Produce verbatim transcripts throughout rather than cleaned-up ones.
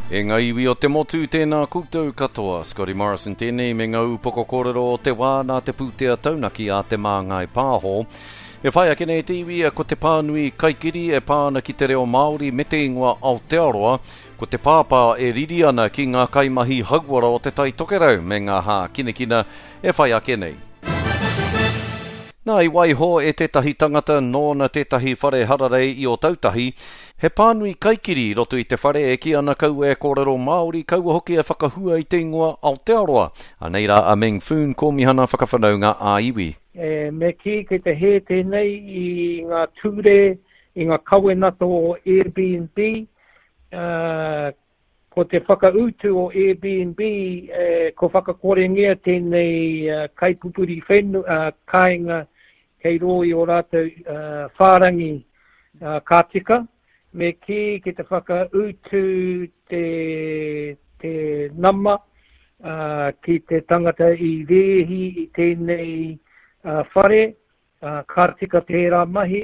E ngā iwi o te motu, tēnā koutou katoa. Scotty Morrison tēnei me ngā upoko kōrero o te wā nā te pūtea taunaki a Te Māngai Pāho. E whai ake nei te iwi ko te pānui kaikiri e pā ana ki te reo Māori me te ingoa Aotearoa, ko te pāpā e riri ana ki ngā kaimahi hauora o Te Tai Tokerau me ngā hākinakina e whai ake nei. Nā, i waiho e tētahi tangata nōna tētahi whare hararei i Ōtautahi, he pānui kaikiri i roto i te whare e kī ana kaua e kōrero Māori, kaua hoki e whakahua i te ingoa Aotearoa. Anei rā a Meng Foon, Kōmihana Whakawhanaunga ā-Iwi. E, me kī kei te hē tēnei i ngā ture, i ngā kawenata o Airbnb, uh, ko te whakautu o Airbnb, e, ko whakakorengia tēnei uh, kaipupuri whenu, uh, kāinga kei rō i o rātou uh, whārangi uh, ka tika, me kī ki te whakautu te, te nama uh, ki te tangata i rēhi i tēnei uh, whare, uh, ka tika tērā mahi.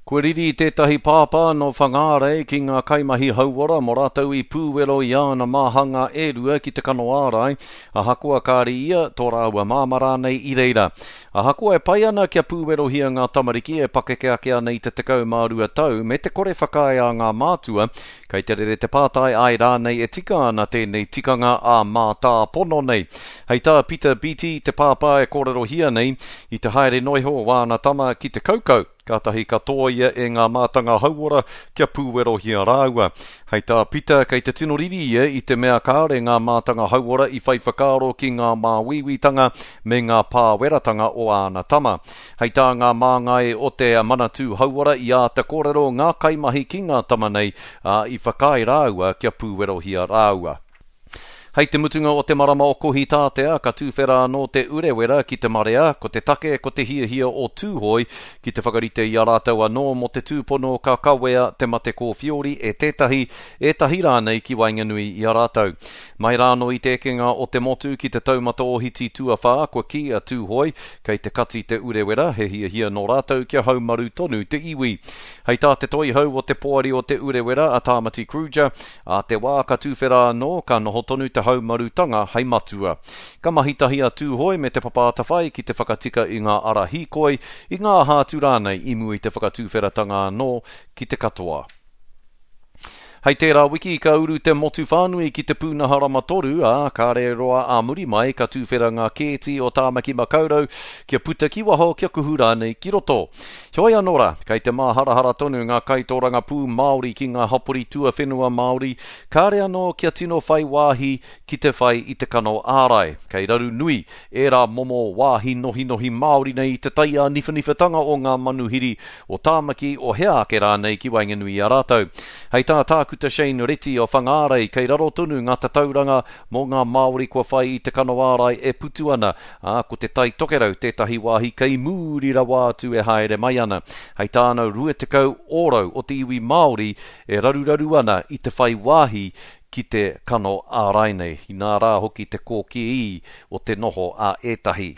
Kua riri tētahi pāpā nō Whangārei ki ngā kaimahi hauora mō rātou i pūwero i āna māhanga e rua ki te kano ārai, ahakoa kāre ia, tō rāua māmā rānei i reira. Ahakoa e pai ana kia pūwerohia ngā tamariki e pakeke ake ana i te tekau mā rua tau me te kore whakaae a ngā mātua, kei te rere te pātai ai rānei e tika ana tēnei tikanga ā mātāpono nei. Hei tā Peter Beattie, te pāpā e kōrerohia nei, i te haere noiho o āna tama ki te kaukau, kātahi ka tōia e ngā mātanga hauora kia pūwerohia rāua. Hei tā Peter, kei te tino riri ia i te mea kāore ngā mātanga hauora i whai whakaaro ki ngā māuiuitanga me ngā pāweratanga o āna tama. Hei tā ngā māngai o te Manatū Hauora i āta kōrero ngā kaimahi ki ngā tama nei, ā, i whakaae rāua kia pūwerohia rāua. Hei te mutunga o te marama o Kohitātea, ka tūwhera anō te Urewera ki te marea, ko te take ko te hiahia o Tūhoi ki te whakarite i a rātou anō mō te tūpono ka kawea te mate kōwhiori e tētahi, ētahi rānei ki waenganui i a rātou. Mai rānō i te ekenga o te motu ki te taumata ohiti tuawhā, kua kī a Tūhoi, kei te kati te Urewera, he hiahia nō rātou kia haumaru tonu te iwi. Hei tā te toihau o te poari o te Urewera a Tāmati Kruger, ā te wā ka tūwhera anō, ka noho tonu te haumarutanga hei matua. Ka mahi tahi a Tūhoi me te Papa Atawhai ki te whakatika i ngā ara hīkoi, i ngā aha atu rānei i mua i te whakatūwheratanga anō ki te katoa. Hei tērā wiki ka uru te motu whānui ki te pūnaha rama toru, ā, kāre roa ā muri mai ka tūwhera ngā kēti o Tāmaki Makaurau kia puta ki waho kia kuhu rānei ki roto. Heoi anō rā, kei te māharahara tonu ngā kaitōrangapū Māori ki ngā hapori tuawhenua Māori, kāre anō kia tino whai wāhi ki te whai i te kano ārai. Kei raru nui ērā momo wāhi nohinohi Māori nei i te taiāniwhaniwhatanga o ngā manuhiri o Tāmaki o hea ake rānei ki waenganui i a rātou. Hei tā Tākuta Shane Reti o Whangārei, kei raro tonu ngā tatauranga mō ngā Māori kua whai i te kano ārai e putu ana, ā, ko te Tai Tokerau tētahi wāhi kei mūri rawa atu e haere mai ana. Hei tāna rua tekau ōrau o te iwi Māori e raruraru ana i te whai wāhi ki te kano ārai nei, inā rā hoki te kōkī o te noho a ētahi.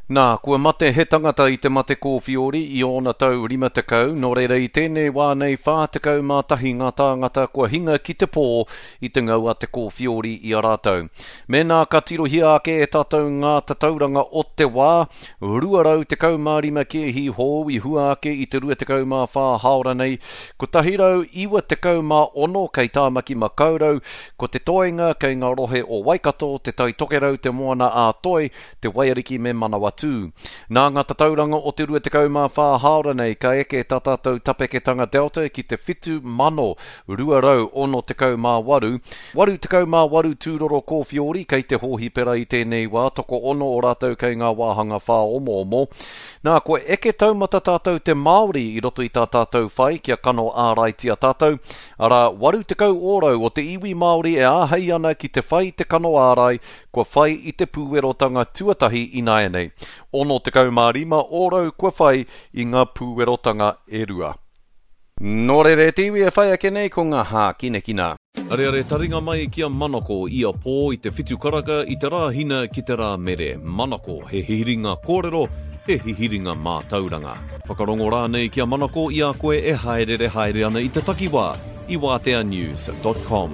Nā, kua mate he tangata i te mate kōwhiori i ōna tau rima tekau, nō reira i tēnei wā nei whā tekau mā tahi ngā tāngata kua hinga ki te pō i te ngau a te kōwhiori i a rātou. Mēnā ka tirohia ake e tātou ngā tatauranga o te wā, rua rau tekau mā rima kēhi hou i hua ake i te rua tekau mā whā hāora nei, kotahi rau iwa tekau mā ono kei Tāmaki Makaurau, ko te toenga kei ngā rohe o Waikato, Te Tai Tokerau, Te Moana ā Toi, Te Waiariki me Manawatū. Nā ngā tatauranga o te rua tekau mā whā hāora nei ka eke tā tātou tapeketanga Delta ki te whitu mano rua rau ono tekau mā waru. Waru tekau mā waru tūroro kōwhiori kei te hōhipera i tēnei wā, toko ono o rātou kei ngā wāhanga whāomoomo. Nā, kua eke taumata tātou te Māori i roto i tā tātou whai kia kano āraitia tātou. Arā, waru tekau ōrau o te iwi Māori e āhei ana ki te whai te kano ārai, kua whai i te pūwerotanga tuatahi ināianei. Ono tekau mā rima ōrau kua whai i ngā pūwerotanga e rua. Nō reira e te iwi e whai ake nei ko ngā hākinakina. Areare taringa mai ki a Manako ia pō i te whitu karaka i te rā hina ki te rā mere. Manako, he hihiringa kōrero, he hihiringa mātauranga. Whakarongo rānei ki a Manako i a koe e haerere haere ana i te takiwā i wātea news dot com.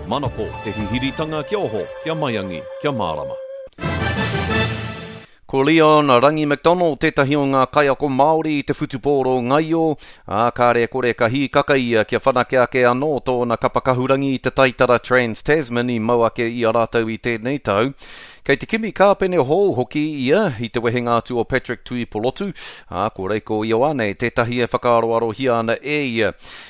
Manako, te hihiritanga kia oho, kia maiangi, kia mārama. Ko Leon Rangi McDonald tētahi o ngā kaiako Māori i te whutupōro ngaio, ā, kāre kore ka hīkaka ia kia whanake ake anō tōna kapa kahurangi i te taitara Trans-Tasman i mau ake i a rātou i tēnei tau. Kei te kimi kāpene hou hoki ia i te wehenga atu o Patrick Tuipolotu, ā, ko Reiko Ioane tētahi e whakaaroarohia ana e ia.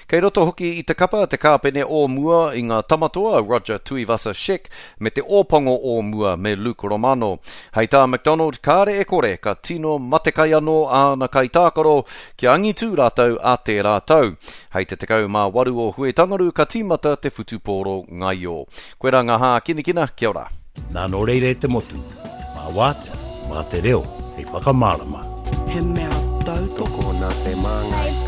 Kei roto hoki i te kapa te kāpene o mua i ngā tamatoa Roger Tuivasa-Sheck me te ōpango o mua me Luke Romano. Hei tā McDonald, kāre e kore ka tino matekai anō āna kaitākaro kia angitū rātou a tērā tau. Hei te tekau mā waru o Huitangaru ka tīmata te whutupōro ngaio. Koe rā ngā hākinakina, kia ora. Nā nō reira e te motu, mā wātea, mā te reo, hei whakamārama. He mea tautoko Tokona te māngai.